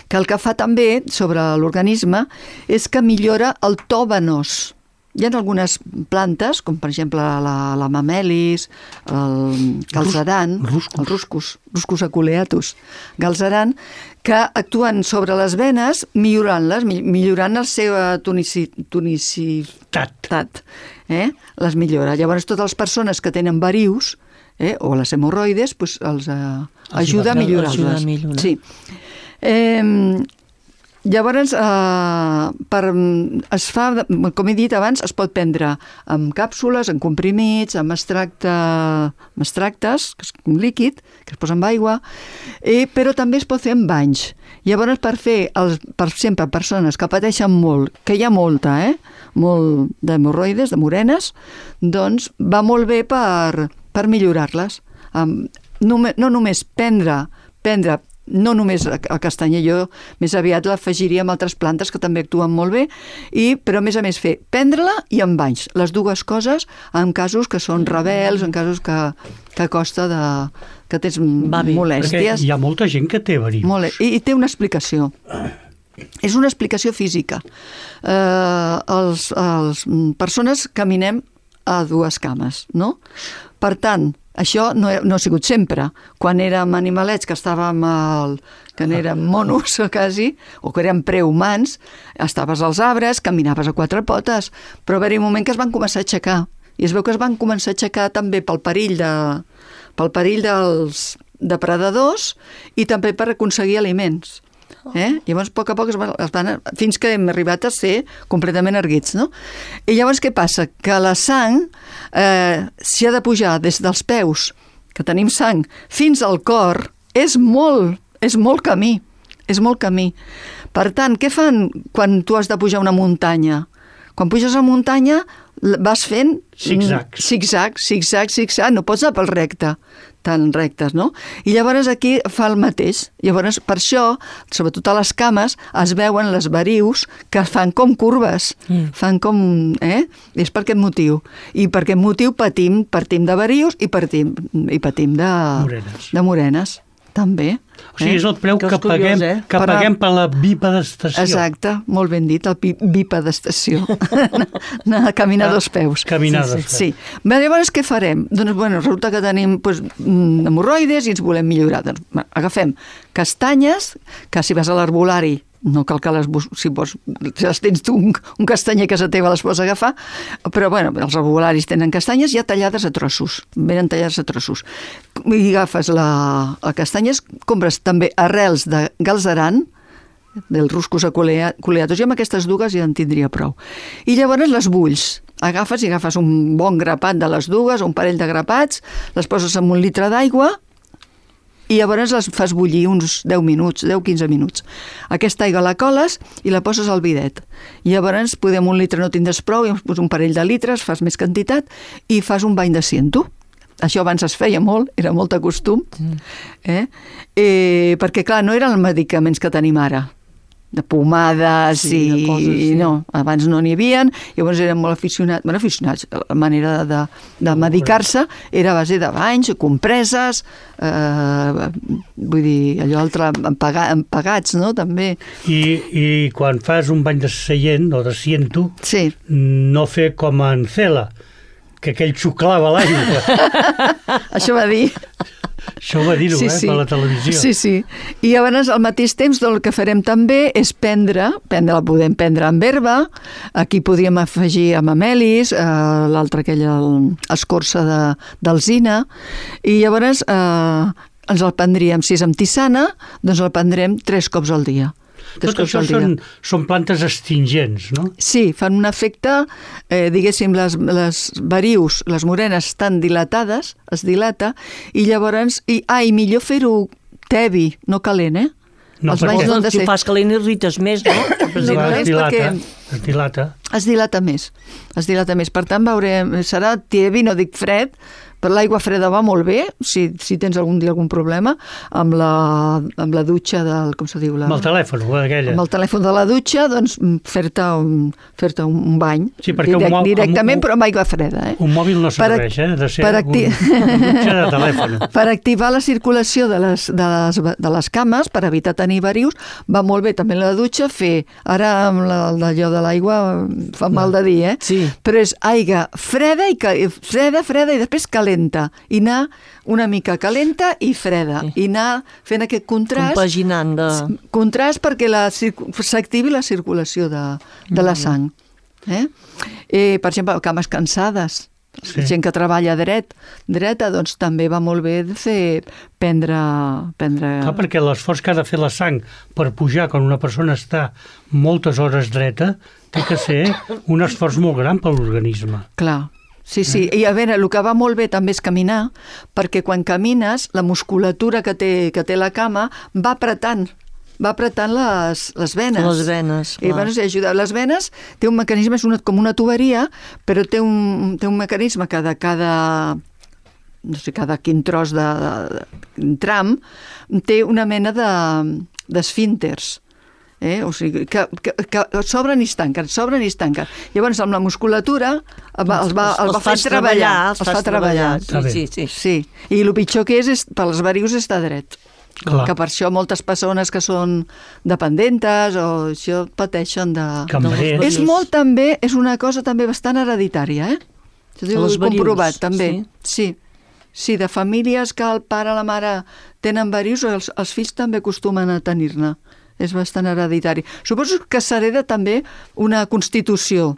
que el que fa també sobre l'organisme és que millora el to venós. Hi ha algunes plantes, com per exemple la, la mamelis, el galzeran, Ruscus. el ruscus, ruscus aculeatus, galzeran, que actuen sobre les venes millorant-les, millorant la seva tonici, tonicitat. Eh? Les millora. Llavors, totes les persones que tenen varius, eh, o les hemorroides, pues, els eh, ajuda a millorar-les. millorar. Sí. Eh, Llavors, eh, per, es fa, com he dit abans, es pot prendre amb càpsules, en comprimits, amb, extracte, amb extractes, que és un líquid, que es posa amb aigua, i, però també es pot fer amb banys. Llavors, per fer, els, per sempre, persones que pateixen molt, que hi ha molta, eh? molt d'hemorroides, de morenes, doncs va molt bé per, per millorar-les. Um, no, no només prendre, prendre no només el castanyer, jo més aviat l'afegiria amb altres plantes que també actuen molt bé, i, però a més a més fer prendre-la i amb banys, les dues coses en casos que són rebels, en casos que, que costa de, que tens molèsties. Perquè hi ha molta gent que té verí. Molt, i, i té una explicació. És una explicació física. Eh, els, els persones caminem a dues cames, no? Per tant, això no, no ha sigut sempre. Quan érem animalets, que estàvem al, que érem monos quasi, o que érem prehumans, estaves als arbres, caminaves a quatre potes, però va haver un moment que es van començar a aixecar. I es veu que es van començar a aixecar també pel perill, de, pel perill dels depredadors i també per aconseguir aliments. Eh? Llavors, a poc a poc, es van, es van, fins que hem arribat a ser completament erguits, no? I llavors què passa? Que la sang eh, s'hi ha de pujar des dels peus, que tenim sang, fins al cor, és molt, és molt camí, és molt camí. Per tant, què fan quan tu has de pujar una muntanya? Quan puges a muntanya vas fent zigzag, zigzag, zigzag, zigzag, no pots anar pel recte, tan rectes, no? I llavors aquí fa el mateix. Llavors, per això, sobretot a les cames, es veuen les varius que fan com curves, mm. fan com... Eh? És per aquest motiu. I per aquest motiu patim, partim de varius i patim, i patim de morenes. De morenes, també. O sigui, és el preu que, que curiós, paguem, eh? que per paguem per la bipedestació. Exacte, molt ben dit, el bipedestació. Anar a caminar ah, dos peus. Caminar sí, dos peus. Sí. sí. Llavors, què farem? Doncs, bueno, resulta que tenim doncs, hemorroides i ens volem millorar. Doncs, agafem castanyes, que si vas a l'herbolari, no cal que les, si, vols, si les tens tu un, un castanyer a casa teva les pots agafar, però bueno, els herbolaris tenen castanyes ja tallades a trossos, venen tallades a trossos. I agafes la, la castanyes, compres també arrels de galzeran, del ruscus aculeatus, i amb aquestes dues ja en tindria prou. I llavors les bulls. Agafes i agafes un bon grapat de les dues, un parell de grapats, les poses en un litre d'aigua, i llavors les fas bullir uns deu minuts, deu a quinze minuts. Aquesta aigua la coles i la poses al bidet. I llavors, podem un litre no tindràs prou, i un parell de litres, fas més quantitat i fas un bany de ciento. Això abans es feia molt, era molt de costum, eh? Eh, perquè clar, no eren els medicaments que tenim ara, de pomades sí, i... De coses, sí. No, abans no n'hi havia, llavors eren molt aficionats, bueno, aficionats, la manera de, de medicar-se era a base de banys, compreses, eh, vull dir, allò altre, empagats, no?, també. I, I quan fas un bany de seient o de ciento, sí. No fer com en Cela, que aquell xuclava l'aigua. Això va dir. Això ho va dir-ho, Sí, eh, sí. per la televisió. Sí, sí. I llavors, al mateix temps, el que farem també és prendre, prendre la podem prendre amb herba, aquí podríem afegir amb amelis, eh, l'altra aquella, el- escorça de- d'alzina, i llavors eh, ens el prendríem, si és amb tisana, doncs el prendrem tres cops al dia. Tres Tot cops això al dia. són, són plantes astringents, no? Sí, fan un efecte, eh, diguéssim, les, les varius, les morenes estan dilatades, es dilata, i llavors, i, ah, i millor fer-ho tebi, no calent, eh? No, Els perquè- banys no han de Si ser. ho fas calent irrites més, no? No, Clar, no es és dilata, perquè- es dilata. Es dilata més, es dilata més. Per tant, veurem, serà tebi, no dic fred, però l'aigua freda va molt bé, si, si tens algun dia algun problema, amb la, amb la dutxa del, com se diu? La, Amb el telèfon, aquella. amb el telèfon de la dutxa, doncs fer-te un, fer-te un, un bany, Sí, perquè un mo- directament, un- però amb aigua freda. Eh? Un mòbil no Per ac- serveix, eh? De ser per un, acti- un dutxa de telèfon. Per activar la circulació de les, de, les, de les cames, per evitar tenir varius, va molt bé també la dutxa fer, ara amb la, allò de l'aigua fa mal de dir, eh? Sí. Però és aigua freda, i ca- freda, freda, i després calenta, i anar una mica calenta i freda, i anar fent aquest contrast, Compaginant de... contrast perquè la circu- s'activi la circulació de, de la sang. Eh? Eh, per exemple, cames cansades, Sí. sí. gent que treballa dret, dreta, doncs també va molt bé de fer prendre... prendre... Clar, perquè l'esforç que ha de fer la sang per pujar quan una persona està moltes hores dreta té que ser un esforç molt gran per l'organisme. Clar. Sí, sí, i a veure, el que va molt bé també és caminar, perquè quan camines, la musculatura que té, que té la cama va apretant, va apretant les, les venes. Les venes, I clar. bueno, ajuda. Les venes té un mecanisme, és una, com una tuberia, però té un, té un mecanisme que de cada no sé, cada quin tros de, de, de tram té una mena de d'esfínters. Eh? O sigui, que, que, que s'obren i es tanquen, s'obren i es tanquen. Llavors, amb la musculatura el va, el va, el va fer fas treballar. els fas treballar. Està bé. Sí, sí, sí. Sí, i el pitjor que és, és per les varius està dret. Clar. Que per això moltes persones que són dependentes o això pateixen de... Cambrer. No, És molt també, és una cosa també bastant hereditària, eh? Això ho Les he comprovat, varius, també. sí. Sí. Sí, de famílies que el pare i la mare tenen varius, els, els fills també acostumen a tenir-ne. És bastant hereditari. Suposo que s'hereda també una constitució.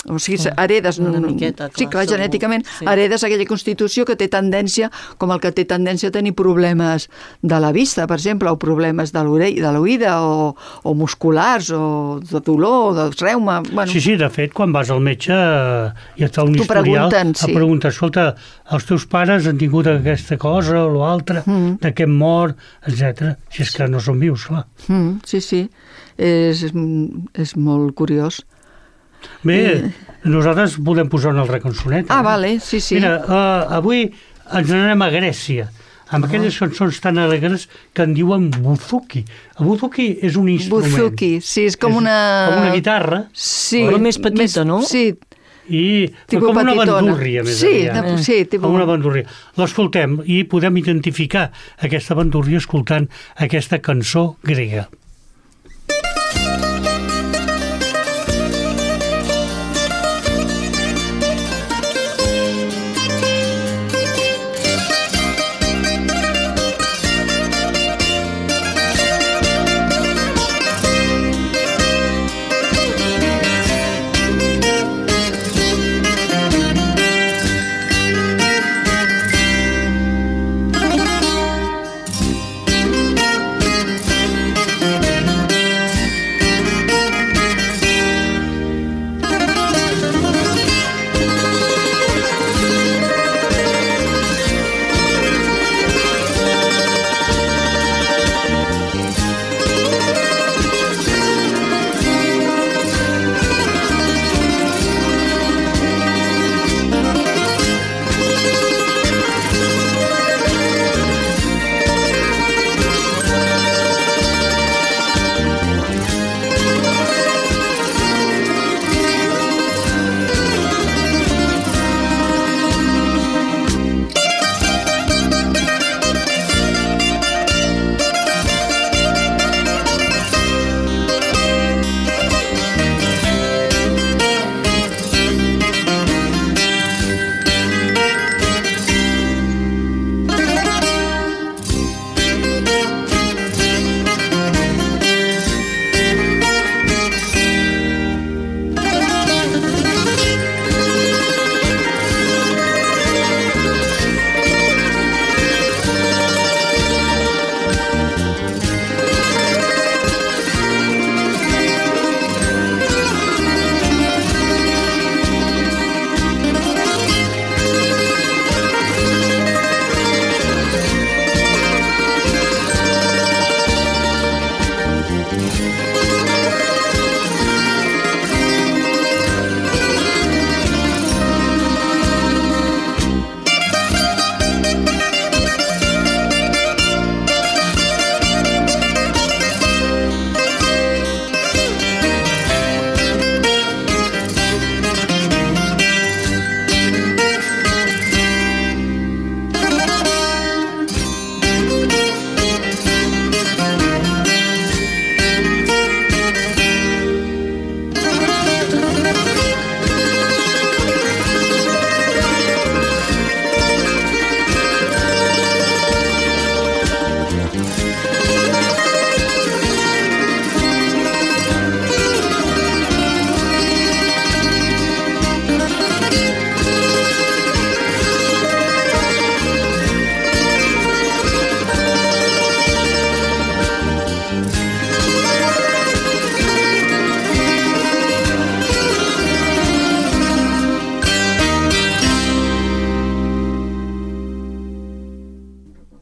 O sigui, heredes... una miqueta, sí, clar, clar, segur. genèticament Sí. heredes aquella constitució que té tendència, com el que té tendència a tenir problemes de la vista, per exemple, o problemes de l'orella, de l'oïda, o, o musculars, o de dolor, o de reuma... Bueno, Sí, sí, de fet, quan vas al metge eh, i et fa un T'ho historial, pregunten, et sí. pregunta, escolta, els teus pares han tingut aquesta cosa o l'altra, Mm. de què hem mort, etcètera. Si és que no són vius, clar. Mm, sí, sí, és, és molt curiós. Bé, nosaltres podem posar una altra cançoneta. Ah, eh? vale, sí, sí. Mira, uh, avui ens n'anem a Grècia, amb aquelles cançons tan alegres que en diuen buzuki. El buzuki és un instrument. Buzuki, sí, és com És una... Com una guitarra, Sí. Però més petita, no? Sí, i Tipus com una petitona. bandúrria, més Sí, aviat. de- sí, tipus- Com una bandúrria. L'escoltem i podem identificar aquesta bandúrria escoltant aquesta cançó grega. Thank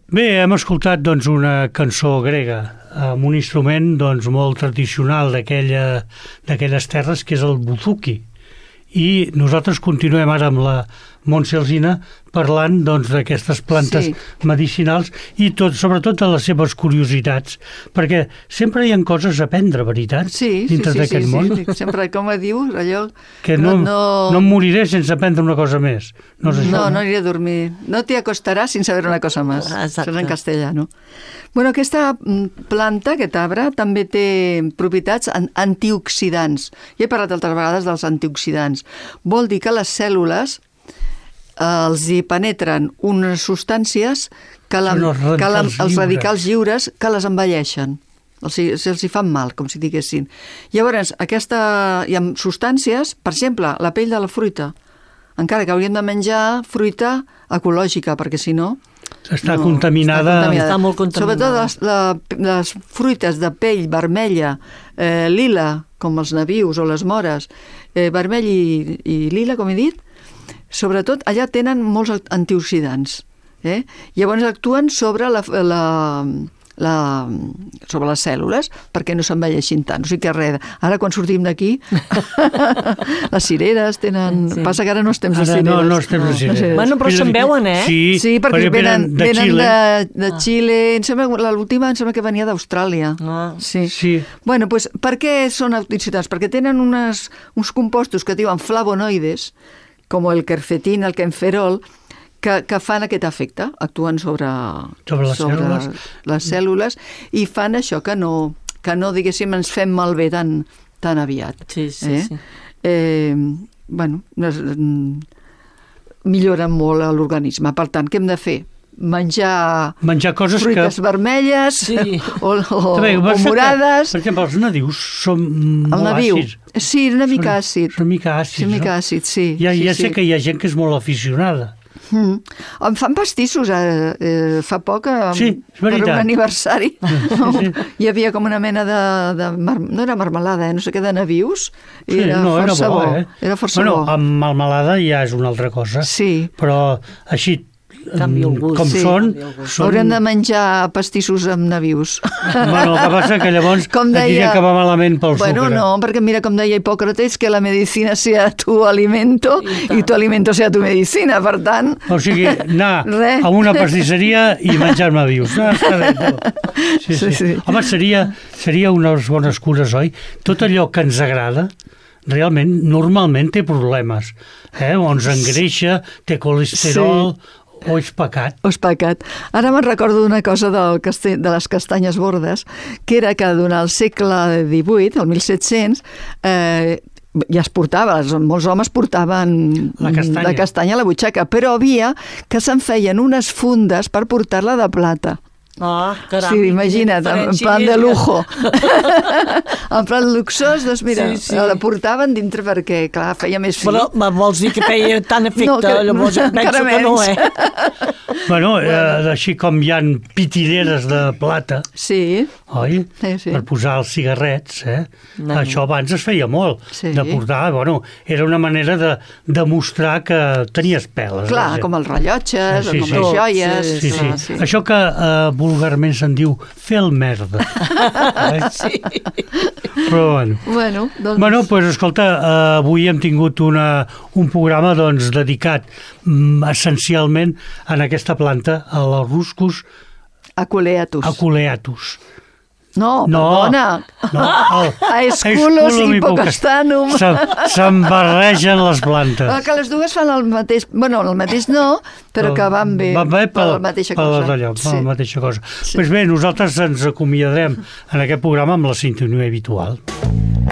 Bé, hem escoltat doncs, una cançó grega amb un instrument doncs, molt tradicional d'aquella, d'aquelles terres, que és el buzuki. I nosaltres continuem ara amb la Montse Alsina parlant doncs, d'aquestes plantes sí. medicinals i tot, sobretot de les seves curiositats, perquè sempre hi ha coses a aprendre, veritat? Sí, dintre sí, sí, d'aquest sí, món. sí, sempre, com dius, allò... Que no, no... no em moriré sense aprendre una cosa més. No, és això, no, no, no aniré a dormir. No te acostaràs sin saber una cosa més. Exacte. Això és en castellano. Bueno, aquesta planta, aquest arbre, també té propietats antioxidants. Ja he parlat altres vegades dels antioxidants. Vol dir que les cèl·lules els hi penetren unes substàncies que, la, els radicals, que la, els lliures. radicals lliures que les envelleixen. Els, els hi fan mal, com si diguessin. Llavors, aquesta, hi ha substàncies, per exemple, la pell de la fruita. Encara que hauríem de menjar fruita ecològica, perquè si no... Està, no, contaminada. està contaminada. Està molt contaminada. Sobretot les, la, les fruites de pell vermella, eh, lila, com els nabius o les mores, eh, vermell i, i lila, com he dit, sobretot allà tenen molts antioxidants. Eh? Llavors actuen sobre la, la, la, sobre les cèl·lules perquè no s'envelleixin tant. O sigui que res, ara quan sortim d'aquí les cireres tenen... Sí. Passa que ara no estem de ara cireres. No, no estem de cireres. No, bueno, però se'n veuen, eh? Sí, sí perquè, perquè venen, de venen Xile. de, de Xile. Em sembla, l'última em sembla que venia d'Austràlia. Ah. Sí. Sí. Bueno, pues, per què són antioxidants? Perquè tenen unes, uns compostos que es diuen flavonoides, com el quercetin, el quenferol, que, que fan aquest efecte, actuen sobre, sobre, les, sobre cèl·lules. les cèl·lules i fan això que no, que no diguéssim, ens fem malbé tan, tan aviat. Sí, sí, eh? sí. Eh, bueno, es, milloren molt l'organisme. Per tant, què hem de fer? Menjar, menjar coses fruites que... vermelles Sí. o, o, També, o morades. Que, per exemple, els nadius són El molt nabiu. àcids. Sí, una mica Són- àcid. Són una mica àcids, Sí, una mica no? àcid, sí. Ja, sí, ja sí. sé que hi ha gent que és molt aficionada. Mm. Em fan pastissos, eh, eh, fa poc, eh, Sí, és per veritat. un aniversari. sí. Hi havia com una mena de... de mar... no era marmelada, eh, no sé què, de nabius. Sí, era no, era força bo, bo. eh? Era força bueno, bo. amb melmelada ja és una altra cosa. Sí. Però així, Canvia el gust. com Sí. són, són... Haurem de menjar pastissos amb nabius. Bueno, el que passa que llavors Com et diria deia- que va malament pel Bueno, sucre. no, perquè mira com deia Hipòcrates, que la medicina sea tu alimento i tu alimento sea tu medicina, per tant... O sigui, anar Res. a una pastisseria i menjar-me vius. No, està bé, tu. Sí, sí. Sí, sí. Home, seria, seria unes bones cures, oi? Tot allò que ens agrada, realment, normalment té problemes. Eh? O ens engreixa, té colesterol, sí. o és pecat. O és pecat. Ara me'n recordo d'una cosa del castell, de les castanyes bordes, que era que durant el segle divuit, el mil set-cents, eh, ja es portava, molts homes portaven La castanya. la castanya a la butxaca, però havia que se'n feien unes fundes per portar-la de plata. Ah, caram. Sí, imagina't, en plan de lujo. En plan luxós, doncs mira, Sí, sí. la portaven dintre perquè, clar, feia més fi. Però me vols dir que feia tant efecte? No, que- Llavors em penso encara que no, menys. eh? Bueno, eh, així com hi ha pitilleres de plata, Sí, oi? Sí, sí. Per posar els cigarrets, eh? No. Això abans es feia molt, Sí. de portar, bueno, era una manera de demostrar que tenies peles. clar, vaja. com els rellotges, Sí, o com sí. les joies. Sí, Sí, sí. clar, sí. Això que eh, vulgarment se'n diu fer el merda. eh? Sí. Però bueno. Bueno, doncs... Bueno, doncs, pues, escolta, eh, avui hem tingut una, un programa doncs, dedicat mm, essencialment en aquesta planta, a la Ruscus Aculeatus. aculeatus. No, No. perdona. No, el, Aesculus Aesculum hipocastanum. Se- Se'n barregen les plantes. Ah, que les dues fan el mateix... Bueno, el mateix no, però que van bé. Van bé per, la mateixa per cosa. allò, per la mateixa cosa. Sí. Pues bé, nosaltres ens acomiadarem en aquest programa amb la sintonia habitual.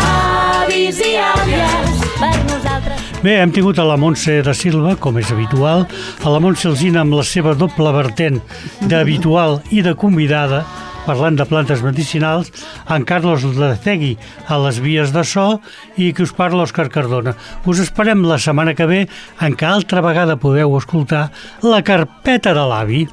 Avis i àvies, per nosaltres. Bé, hem tingut a la Montse de Silva, com és habitual, a la Montse Alsina amb la seva doble vertent d'habitual i de convidada, parlant de plantes medicinals, en Carlos Lecegui a les vies de so i que us parla Òscar Cardona. Us esperem la setmana que ve en què altra vegada podeu escoltar la carpeta de l'avi.